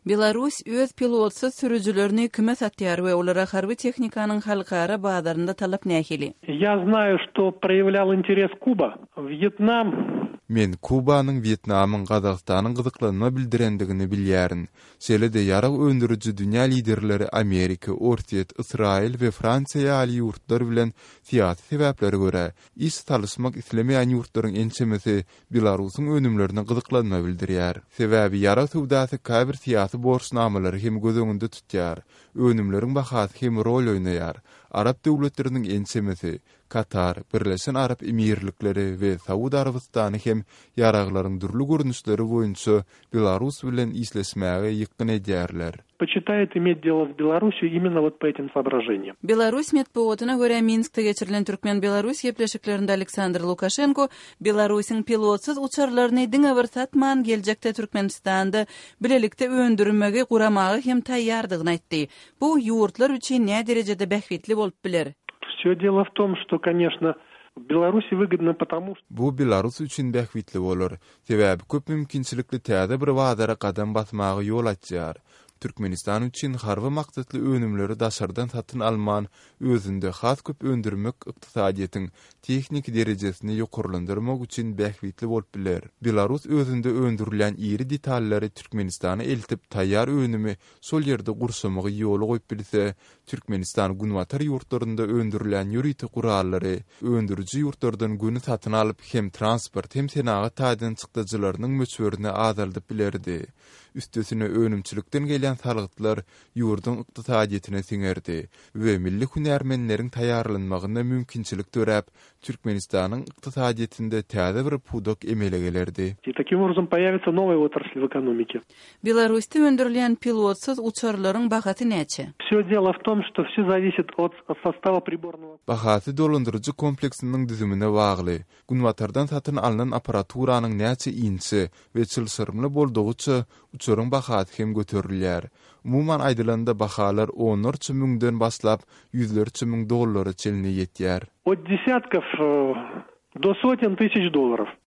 Беларусь өз пилотсыз сүрүжүлөрүнү кime сатыяр ve олара харбый техниканын халкара баадарында талап нәхили. Я знаю, что проявлял интерес Куба, Вьетнам. Men Kubanyň, Vietnamyň, Kazakstanyň gyzyklanma bildirendigini bilýärin. Selede ýarag öndürüjü dünýä liderleri Amerika, Ortiýet, Israil we Fransiýa ýaly ýurtlar bilen siýasy sebäplere görä iş talysmak islemeýän ýurtlaryň ençemesi Belarusyň önümlerine gyzyklanma bildirýär. Sebäbi ýara sowdasy käbir siýasy borçnamalary hem göz öňünde tutýar. Önümleriň bahasy hem rol oýnaýar. Arap döwletleriniň ençemesi Katar, Birleşen Arap Emirlikleri we Saudi Arabistany hem ýaraglaryň dürli görnüşleri boýunça Belarus bilen isleşmäge ýykyn edýärler. Почитает иметь дело с Беларусью именно вот по этим соображениям. Беларусь медпоотуна görä Minskde geçirilen Türkmen-Belarus gepleşiklerinde Aleksandr Lukashenko Belarusyň pilotсыз uçarlaryny diňe bir satman geljekde Türkmenistanda bilelikde öndürmegi guramagy hem taýýardygyny aýtdy. Bu ýurtlar üçin näme derejede bähwitli bolup biler? Всё дело в том, что, конечно, Беларуси выгодно потому, что Bu Belarus üçin bähwitli bolar. Sebäbi köp mümkinçilikli täze bir wagdara kadam basmagy ýol açýar. Türkmenistan üçin harby maksatly önümleri daşardan satyn alman, özünde has köp öndürmek ykdysadyetiň teknik derejesini ýokurlandyrmak üçin bähwitli bolup biler. Belarus özünde öndürilen iri detalleri Türkmenistana eltip taýýar önümi sol ýerde gursamagy ýoly goýup bilse, Türkmenistan günwatar ýurtlarynda öndürilen ýüriti gurallary öndürüji ýurtlardan güni satyn alyp hem transport hem senagat taýdan çykdyjylarynyň möçberini azaldyp bilerdi. Üstesine önümçilikden gelen salgytlar ýurdun ykdysadyetine siňerdi we milli hünärmenleriň taýýarlanmagyna mümkinçilik töräp Türkmenistanyň ykdysadyetinde täze bir pudok emele gelerdi. И таким образом появится новая отрасль в экономике. Belarusda öndürilen pilotсыз uçarlaryň bahasy näçe? Всё дело в том, что всё зависит от состава приборного. Bahasy dolandırıcı kompleksiniň düzümine bagly. Günwatardan satyn alynan aparaturanyň näçe inçe we çylsyrmly boldugyça uçaryň bahasy hem göterilýär. Umuman aýdylanda bahalar 10 müňden başlap $100,000 çeline ýetýär. От десятков до сотен тысяч долларов.